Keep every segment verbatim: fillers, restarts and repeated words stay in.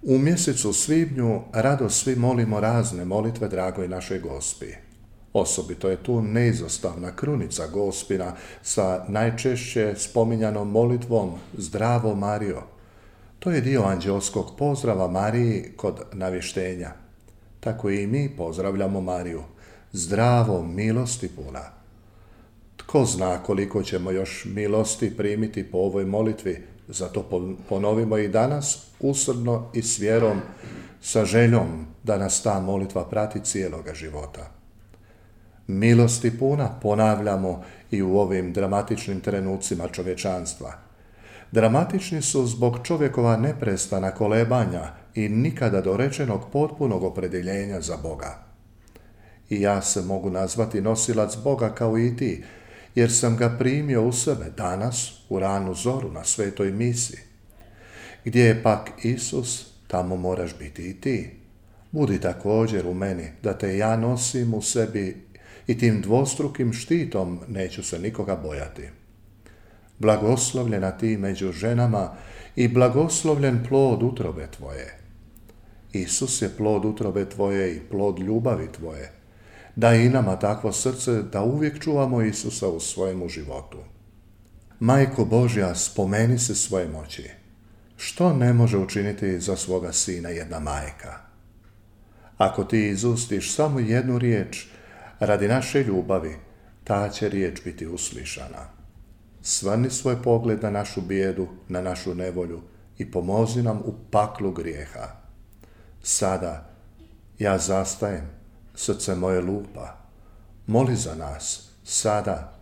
U mjesecu svibnju rado svi molimo razne molitve dragoj našoj Gospi. Osobito je tu neizostavna krunica Gospina sa najčešće spominjanom molitvom Zdravo Marijo. To je dio anđelskog pozdrava Mariji kod navještenja. Tako i mi pozdravljamo Mariju. Zdravo, milosti puna. Tko zna koliko ćemo još milosti primiti po ovoj molitvi, zato ponovimo i danas usrdno i s vjerom, sa željom da nas ta molitva prati cijeloga života. Milosti puna ponavljamo i u ovim dramatičnim trenucima čovječanstva. Dramatični su zbog čovjekova neprestana kolebanja i nikada dorečenog potpunog opredjeljenja za Boga. I ja se mogu nazvati nosilac Boga kao i ti, jer sam ga primio u sebe danas u ranu zoru na svetoj misi. Gdje je pak Isus, tamo moraš biti i ti. Budi također u meni, da te ja nosim u sebi i tim dvostrukim štitom neću se nikoga bojati. Blagoslovljena ti među ženama i blagoslovljen plod utrobe tvoje. Isus je plod utrobe tvoje i plod ljubavi tvoje. Daj i nama takvo srce da uvijek čuvamo Isusa u svojemu životu. Majko Božja, spomeni se svoje moći. Što ne može učiniti za svoga sina jedna majka? Ako ti izustiš samo jednu riječ, radi naše ljubavi, ta će riječ biti uslišana. Svrni svoj pogled na našu bijedu, na našu nevolju i pomozi nam u paklu grijeha. Sada ja zastajem, srce moje lupa. Moli za nas, sada.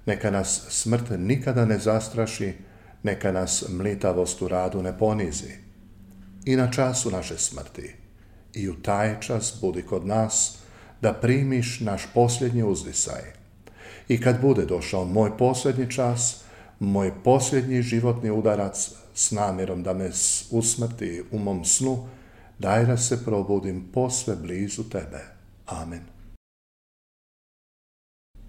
Neka nas smrt nikada ne zastraši, neka nas mlitavost u radu ne ponizi. I na času naše smrti, i u taj čas budi kod nas, da primiš naš posljednji uzdisaj. I kad bude došao moj posljednji čas, moj posljednji životni udarac s namjerom da me usmrti u mom snu, daj da se probudim posve blizu tebe. Amen.